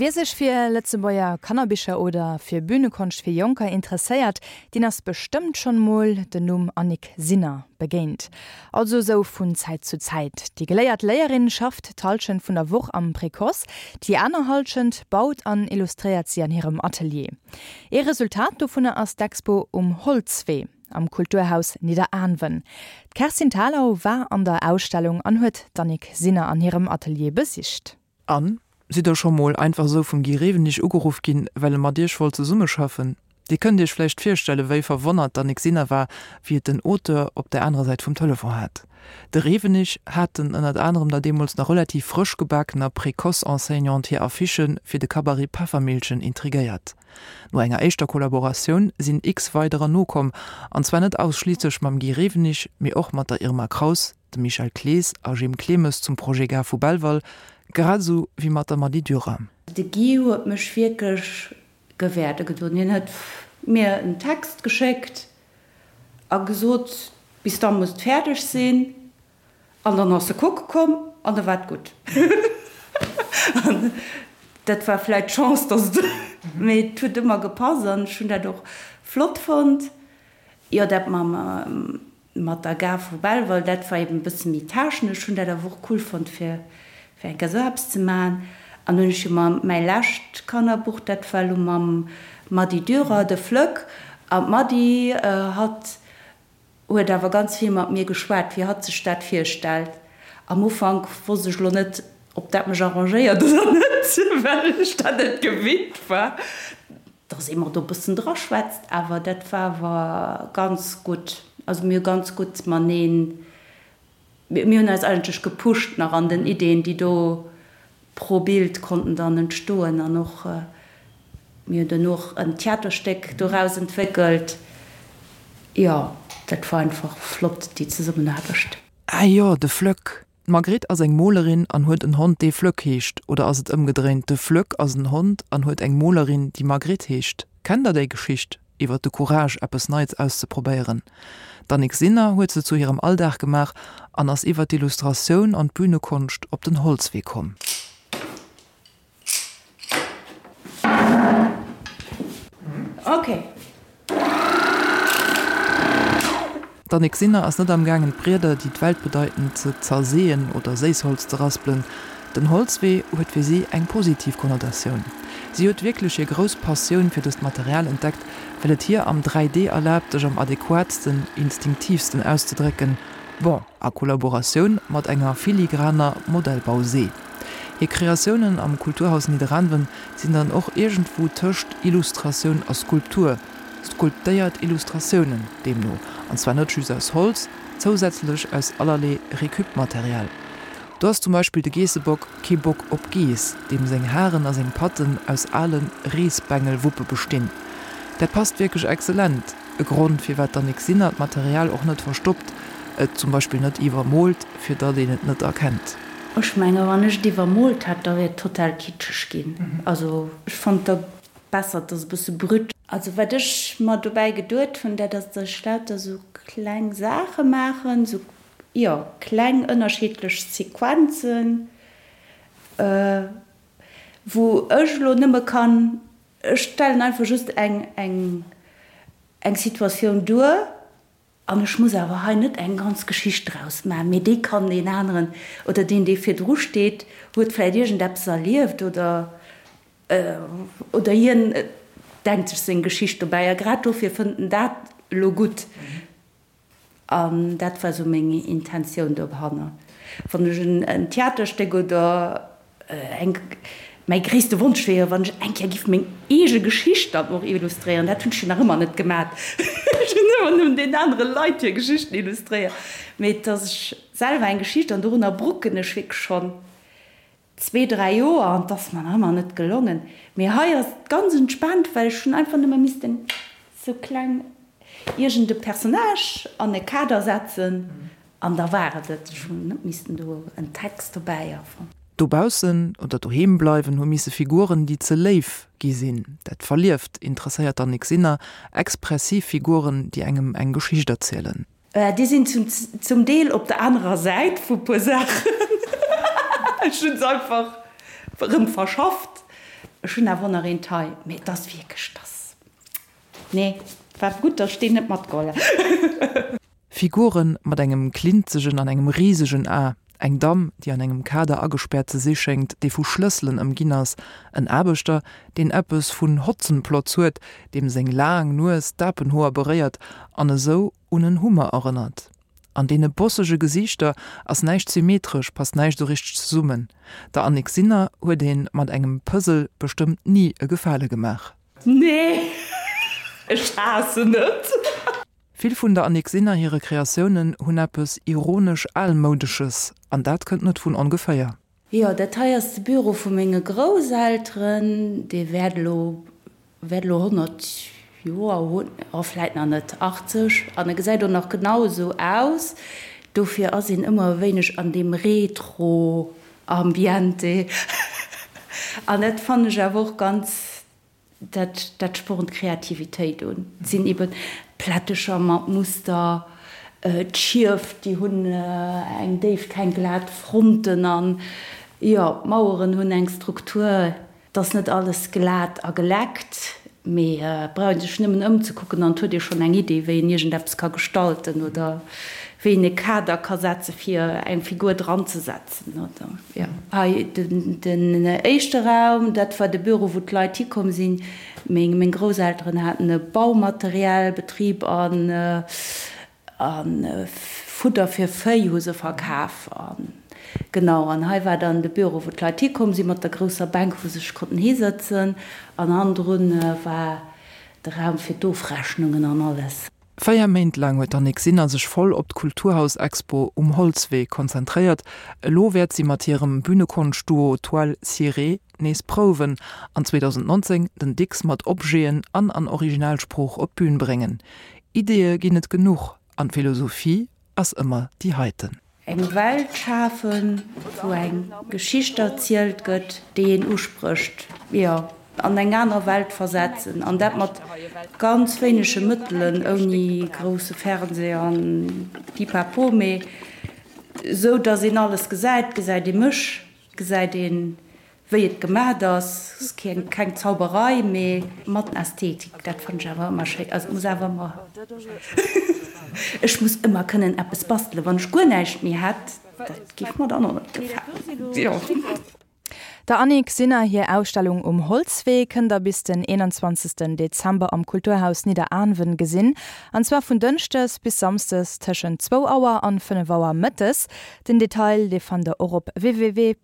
Wie sech fir Lëtzebuerger Kannerbicher oder fir Bühnekonscht fir Jonker interesséiert, deen ass bestëmmt schonn mol den Numm Annick Sinner begéint. Also sou vun Zäit zu Zäit. Déi geléiert Léierin schafft d'Hallschent vun der Woch am Précoce, déi aner Hallschent baut an illustréiert si an hirem Atelier. Ee Resultat dovunner ass d'Expo Um Holzwee am Kulturhaus Nidderaanwen. D'Kerstin Thalau war an der Ausstellung an huet d'Annick Sinner an hirem Atelier besicht. An, sidd der scho mol einfach esou vum Guy Rewenig ugeruff ginn, well e mat iech wollt zesummeschaffen? Dir kënnt iech vläicht virstellen, wéi verwonnert d'Annick Sinner war, wéi et den Auteur op der anerer Säit vum Telefon hat. De Rewenig hat den ënnert anerem der deemools nach relativ frësch gebakener Précoce-Enseignante hir Affichë fir de Cabaret Peffermillchen intrigéiert. No enger éischter Kollaboratioun sinn x weiderer nokomm, an zwar net ausschliisslech mam Guy Rewenig, mee och mat der Irma Kraus, dem Michel Clees a Jim Clemes zum Projet Gare vu Belval, grad esou wéi mat der Mady Dürer. De Guy huet mech wierklech gewäerde gedoen. Hien huet mir en Text geschéckt a gesot, bis da muss et fäerdeg sinn. An dann ass e kucke komm an da war et gutt. An dat war vläicht d'Chance, dass et, mee et huet ëmmer gepasst an ech hunn dat och flott fonnt. Jo, dat mam Mat der Gare vu Belval, dat war eben e bësse méi technesch. Ech hunn dat awer och cool fonnt fir fir eng Kéier esou eppes ze maachen. An hunn ech jo mam mäi lescht Kannerbuch, dat war elo mam Mady Dürer, De Flöck. An d'Mady, hatt huet awer ganz vill mat mir geschwat, wéi hatt sech dat virstellt. Am Ufank wosst ech elo net, ob dat mech arrangéiert oder net, well ech dat net gewinnt war. Dass ee mer do e bëssen draschwätzt, awer dat war awer ganz gutt. Also mir hu ganz gutt mateneen, mir hunn eis eigentlech gepusht nach an den Ideeën, déi do pro Bild konnten dann entstoen. An och, mir hunn duerno och en Theaterstéck doraus entwéckelt. Jo, dat war einfach flott, déi Zesummenaarbecht. Ah jo, de Flöck! D'Margret ass eng Molerin an huet en Hond dee Flöck heescht, oder ass et ëmgedréint, de Flöck ass en Hond an huet eng Molerin déi Margret heescht? Kennt der déi Geschicht iwwer de Courage eppes Neits auszeprobéieren? D'Annick Sinner huet se zu hirem Alldag gemaach an ass iwwer d'Illustratioun an d'Bühnekonscht op den Holzwee komm. Ok. D'Annick Sinner ass net am gaangen d'Brieder, déi d'Welt bedeiten, ze zerseeën oder Séissholz ze raspelen. Den Holzwee huet fir si eng positiv Konnotatioun. Si huet wierklech hir grouss Passioun fir dëst Material entdeckt, well et hir am 3D erlaabt, sech am adequatsten, instinktiivsten auszedrécken, bon, a Kollaboratioun mat enger filigraner Modellbausee. Hir Kreatiounen am Kulturhaus Nidderaanwen sinn dann och iergendwou tëscht Illustratioun a Skulptur, skulptéiert Illustratiounen deemno, an zwar net just aus Holz, zousätzlech aus allerlee Récup-Material. Do ass zum Beispill de Geessebock, kee Bock op Geess, deem seng Haren a seng Patten aus ale Reesbengelwuppe bestinn. Dat passt wierklech exzellent, e Grond firwat d'Annick Sinner d'Material och net verstoppt, et zum Beispill net iwwermoolt, fir datt een et net erkennt. Ech menge wann ech et iwwermoolt hätt, da wier et total kitscheg ginn. Also ech fonnt da besser, et ass e bësse brut. Also wat ech mer dobäi geduet hunn, dat ass, datt ech lauter sou kleng Saache maachen, sou jo kleng ënnerschiddlech Sequenzen, wou ech elo nëmme kann, ech stellen einfach just eng eng eng Situatioun duer An ech muss awer hei net eng ganz Geschicht draus maachen, mee dee kann deen aneren oder deen, dee virdru steet, huet vläicht iergendeppes erlieft oder, oder hien denkt sech seng Geschicht dobäi a grad dofir fënnt en dat elo gutt. An dat war esou meng Intentioun dohanner. Wann ech en Theaterstéck oder Eng, mäi gréisste Wonsch wier jo, wann ech eng Kéier giff meng eege Geschicht dann och illustréieren. Dat hunn ech jo nach ëmmer net gemat. Ech hunn ëmmer nëmmen deenen anere Leit hir Geschichten illustréiert. Mee dass ech selwer eng Geschicht, an dorunner brucken ech wierklech schonn zwee, dräi Joer, an 't ass mer nach ëmmer net gelongen. Mee hei ass et ganz entspaant, well ech hunn einfach nëmme missten sou kleng iergend e Personnage an e Kader setzen an da war et et. Ech hunn net missten do en Text dobäi erfannen. Dobaussen oder doheem bleiwen hu misse Figuren, déi ze léif gi sinn. Dat Verlieft interesséiert d'Annick Sinner, expressiv Figuren, déi engem eng Geschicht erzielen. Déi sinn zum Deel op der anerer Säit vu puer Saachen. Ech hunn se einfach erëm verschafft. Ech hunn awer och nach eent hei, mee et ass wierklech, et ass, nee, war gutt, datt ech deen net matgeholl hunn. Figuren mat engem klinzegen an engem risegen A, eng Damm, déi an engem Kader agespäert ze si schéngt, dee vu Schlësselen ëmginn ass, en Aarbechter, deen eppes vun Hotzenplotz huet, deem seng laang Nues d'Apenhoer beréiert an esou un en Hummer erënnert. An deene bossege Gesiichter ass näischt symmetresch, passt näischt esou richteg zesummen. Der Annick Sinner huet ee mat engem Puzzle bestëmmt ni e Gefale gemaach. Nee, ech haassen et. Vill vun der Annick Sinner hire Kreatiounen hunn eppes ironesch Almoudesches, an dat kënnt net vun ongeféier. Jo, dat hei ass de Büro vu menge Grousselteren. Dee wäert elo, wäert elo 100 Joer hunn, oh vläit nach net, 80, an e gesäit och nach genau esou aus. Dofir ass een ëmmer e wéineg an deem Retro-Ambiente. An dat fannen ech awer och ganz Dat, dat spornt d'Kreativitéit un. Et sinn eben Plättecher mat Muster, d'Schief, déi hunn eng Déift, keng glat Fronten an jo, d'Maueren hunn eng Struktur. Et ass net alles glat a geleckt, mee et brauch ee sech nëmmen ëmzekucken an et huet ee schonn eng Idee, wéi een iergendeppes ka gestalten oder wéi een e Kader ka setze fir eng Figur dranzesetzen. Hei den éischte Raum, dat war de Büro wou d'Leit hikomm sinn. Meng Grousselteren haten e Baumaterialbetrib an Fudder fir Véi hu se verkaf. Genau, an hei war dann de Büro wou d'Leit hikomm sinn mat der grousser Bänk wou se sech konnten hisëtzen an hannendrun war de Raum fir d'Ofrechnungen an alles. 4 Méint laang huet d'Annick Sinner sech voll op d'Kulturhaus-Expo um Holzwee konzentréiert. Elo wäert si mat hirem Bünekonscht-Duo Toile Cirée nees prouwen an 2019 den Dicks mat Objeten an an Originalsprooch op d'Bün bréngen. Ideeë ginn et genuch an d'Philosophie ass ëmmer déi heiten. Eng Welt schafen, wou eng Geschicht erzielt gëtt, déi een usprécht, jo, an eng aner Welt versetzen, an dat mat ganz wéinege Mëttelen, ouni grousse Fernseh an Pipapo, mee esou, datt een alles gesäit, gesäit ee mech, gesäit een Wéi et gemat ass, ass keng Zauberei, mee mat Ästhetik. Dat fannen ech awer ëmmer schéin. Also et muss awer ëmmer, ech muss ëmmer kënnen eppes bastelen. Wann ech guer näischt méi hätt, dat géif mer dann och net gefalen. Jo. Der Annick Sinner hir Ausstellung Um Holzwee kënnt der bis den 21 Dezember am Kulturhaus Nidderaanwen gesinn, an zwar vun Dënschdes bis Samsdes tëschent zwou Auer an 5 Auer mëttes. Den Detail dee fannt der och op www.khn.lu.